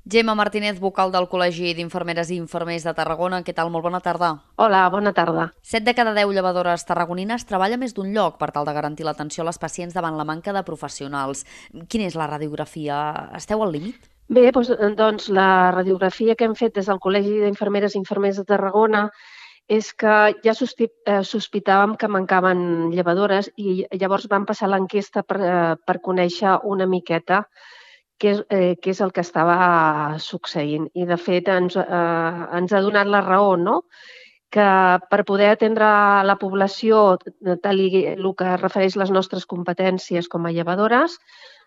Gemma Martínez, vocal del Col·legi d'Infermeres i Infermers de Tarragona. Què tal? Molt bona tarda. Hola, bona tarda. 7 de cada 10 llevadores tarragonines treballa més d'un lloc per tal de garantir l'atenció a les pacients davant la manca de professionals. Quina és la radiografia? Esteu al límit? Bé, doncs la radiografia que hem fet des del Col·legi d'Infermeres i Infermers de Tarragona és que ja sospitàvem que mancaven llevadores i llavors vam passar l'enquesta per conèixer una miqueta què és el que estava succeint. I, de fet, ens ha donat la raó, no? Que per poder atendre la població, tal el que refereix les nostres competències com a llevadores,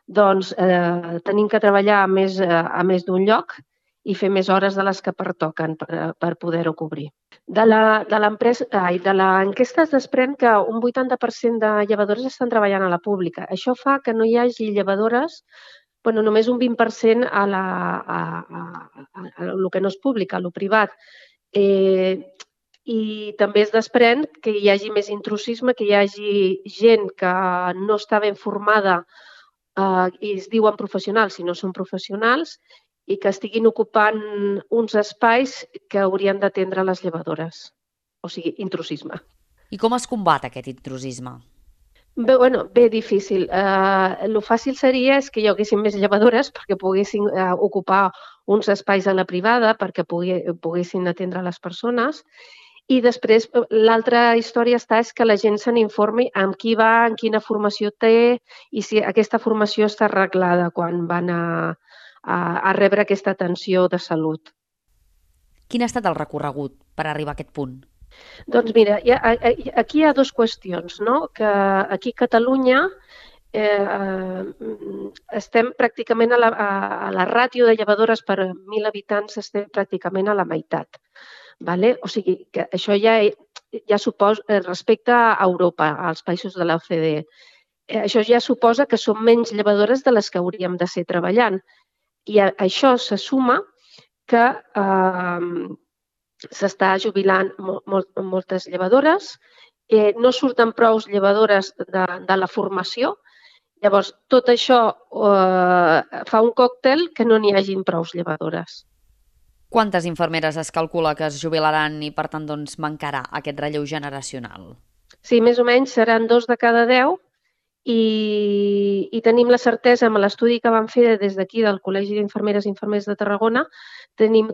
doncs tenim que treballar a més d'un lloc i fer més hores de les que pertoquen per poder-ho cobrir. De l'enquesta es desprèn que un 80% de llevadores estan treballant a la pública. Això fa que no hi hagi llevadores, només un 20% a el que no és públic, a lo privat. I també es desprèn que hi hagi més intrusisme, que hi hagi gent que no està ben formada i es diuen professionals si no són professionals i que estiguin ocupant uns espais que haurien d'atendre les llevadores. O sigui, intrusisme. I com es combat aquest intrusisme? Bé difícil. Lo fàcil seria és que hi haguessin més llevadores perquè poguessin ocupar uns espais a la privada perquè poguessin atendre les persones. I després, l'altra història és que la gent se n'informi amb qui va, en quina formació té i si aquesta formació està arreglada quan van a rebre aquesta atenció de salut. Quin ha estat el recorregut per arribar a aquest punt? Doncs mira, aquí hi ha dues qüestions, no? Que aquí a Catalunya estem pràcticament a la ràtio de llevadores per 1.000 habitants estem pràcticament a la meitat. Vale? O sigui, que això ja suposa, respecte a Europa, als països de l'OCDE, això ja suposa que són menys llevadores de les que hauríem de ser treballant. I a això se suma que s'està jubilant moltes llevadores, no surten prou llevadores de la formació. Llavors, tot això fa un còctel que no n'hi hagin prou llevadores. Quantes infermeres es calcula que es jubilaran i, per tant, doncs, mancarà aquest relleu generacional? Sí, més o menys seran 2 de cada 10 i tenim la certesa, amb l'estudi que vam fer des d'aquí, del Col·legi d'Infermeres i Infermers de Tarragona, tenim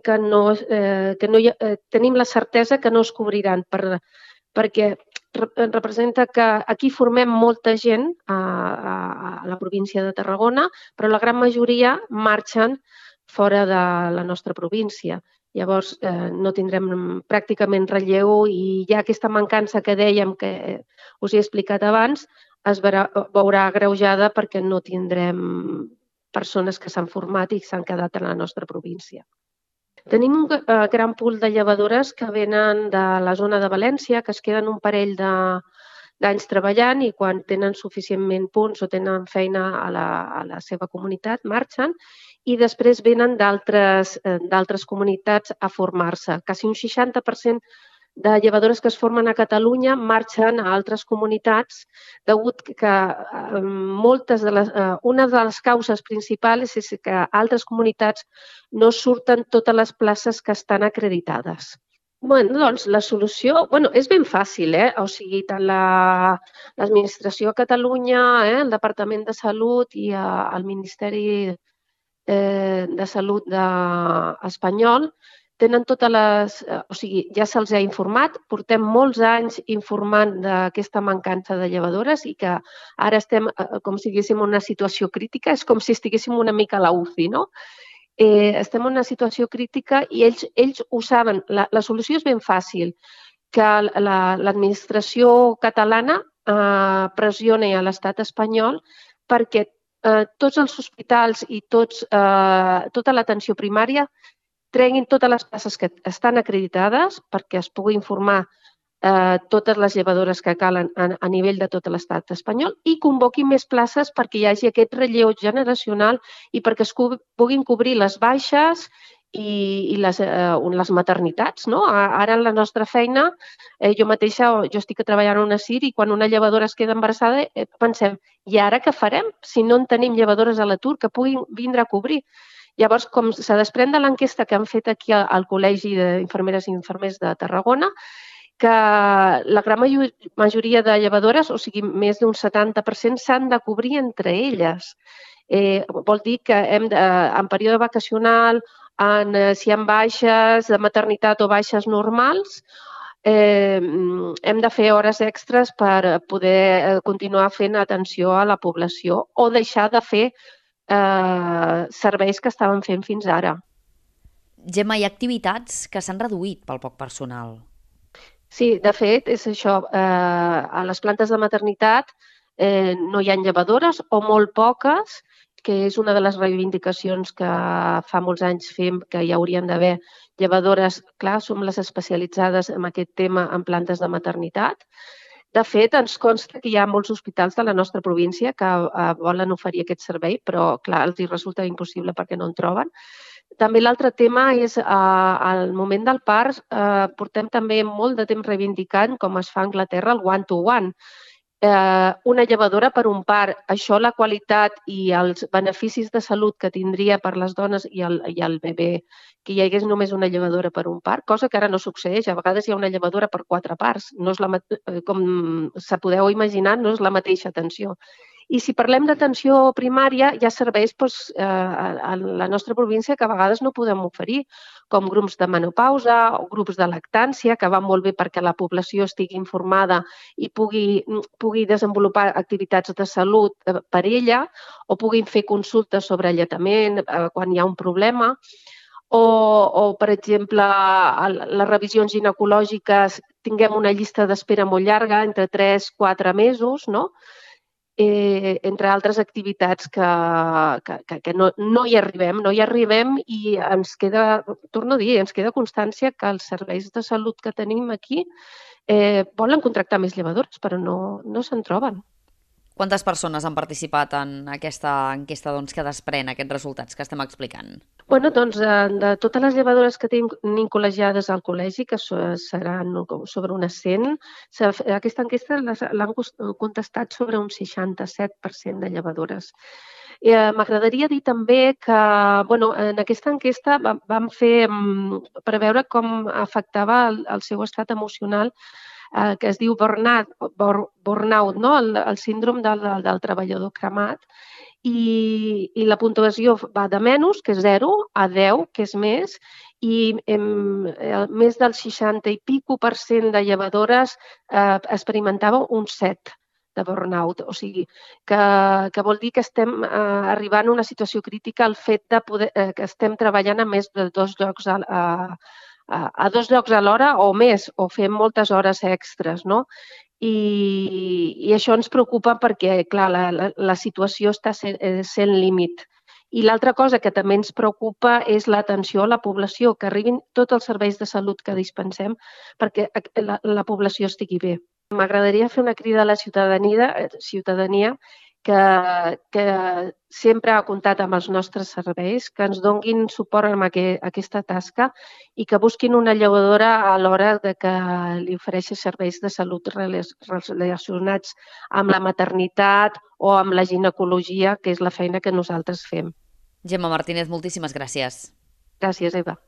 la certesa que no es cobriran perquè representa que aquí formem molta gent a la província de Tarragona, però la gran majoria marxen fora de la nostra província. Llavors, no tindrem pràcticament relleu i ja aquesta mancança que dèiem que us he explicat abans es veurà agreujada perquè no tindrem persones que s'han format i s'han quedat a la nostra província. Tenim un gran pool de llevadores que venen de la zona de València, que es queden un parell d'anys treballant i quan tenen suficientment punts o tenen feina a la seva comunitat marxen i després venen d'altres comunitats a formar-se. Quasi un 60% de llevadores que es formen a Catalunya marxen a altres comunitats degut que una de les causes principals és que a altres comunitats no surten totes les places que estan acreditades. Doncs la solució és ben fàcil, O sigui, tant l'administració a Catalunya, el Departament de Salut i el Ministeri de Salut espanyol tenen totes les... O sigui, ja se'ls ha informat, portem molts anys informant d'aquesta mancança de llevadores i que ara estem com si estiguéssim en una situació crítica, és com si estiguéssim una mica a la UCI, no? Estem en una situació crítica i ells ho saben. La solució és ben fàcil, que l'administració catalana pressioni a l'estat espanyol perquè tots els hospitals i tota l'atenció primària treguin totes les places que estan acreditades perquè es pugui informar totes les llevadores que calen a nivell de tot l'estat espanyol i convoquin més places perquè hi hagi aquest relleu generacional i perquè es puguin cobrir les baixes i les maternitats. No? Ara en la nostra feina, jo mateixa, jo estic treballant a una CIR i quan una llevadora es queda embarassada pensem, i ara què farem si no en tenim llevadores a l'atur que puguin vindre a cobrir? Llavors, com se desprèn de l'enquesta que han fet aquí al Col·legi d'Infermeres i Infermers de Tarragona, que la gran majoria de llevadores, o sigui, més d'un 70%, s'han de cobrir entre elles. Vol dir que en període vacacional, si hi ha baixes de maternitat o baixes normals, hem de fer hores extres per poder continuar fent atenció a la població o deixar de fer serveis que estàvem fent fins ara. Gemma, hi ha activitats que s'han reduït pel poc personal. Sí, de fet, és això. A les plantes de maternitat no hi ha llevadores o molt poques, que és una de les reivindicacions que fa molts anys fem, que hi haurien d'haver llevadores. Clar, som les especialitzades en aquest tema en plantes de maternitat. De fet, ens consta que hi ha molts hospitals de la nostra província que volen oferir aquest servei, però clar, els resulta impossible perquè no en troben. També l'altre tema és, al moment del part, portem també molt de temps reivindicant, com es fa a Anglaterra, el one-to-one. Una llevadora per un part. Això, la qualitat i els beneficis de salut que tindria per les dones i el bebè, que hi hagués només una llevadora per un part, cosa que ara no succeeix. A vegades hi ha una llevadora per 4 parts. No és com se podeu imaginar, no és la mateixa atenció. I si parlem d'atenció primària, hi ha serveis a la nostra província que a vegades no podem oferir, com grups de menopausa o grups de lactància, que van molt bé perquè la població estigui informada i pugui desenvolupar activitats de salut per ella, o puguin fer consultes sobre alletament quan hi ha un problema. O per exemple, les revisions ginecològiques, tinguem una llista d'espera molt llarga, entre 3-4 mesos, no? Entre altres activitats que no hi arribem i ens queda, torno a dir, ens queda constància que els serveis de salut que tenim aquí volen contractar més llevadores, però no se'n troben. Quantes persones han participat en aquesta enquesta que desprèn aquests resultats que estem explicant? Bueno, doncs, de totes les llevadores que tenim col·legiades al col·legi, que seran sobre unes 100, aquesta enquesta l'han contestat sobre un 67% de llevadores. M'agradaria dir també que en aquesta enquesta vam fer per veure com afectava el seu estat emocional, que es diu burnout, no? El síndrome del treballador cremat. I la puntuació va de menys, que és 0, a 10, que és més, i més del 60 i pico % de llevadores experimentava un 7 de burnout. O sigui, que vol dir que estem arribant a una situació crítica al fet de que estem treballant a més de 2 llocs a 2 llocs alhora o més, o fem moltes hores extres, no? I això ens preocupa perquè, clar, la situació està sent límit. I l'altra cosa que també ens preocupa és l'atenció a la població, que arribin tots els serveis de salut que dispensem perquè la població estigui bé. M'agradaria fer una crida a la ciutadania que sempre ha comptat amb els nostres serveis, que ens donguin suport en aquesta tasca i que busquin una llevadora a l'hora de que li ofereixi serveis de salut relacionats amb la maternitat o amb la ginecologia, que és la feina que nosaltres fem. Gemma Martínez, moltíssimes gràcies. Gràcies, Eva.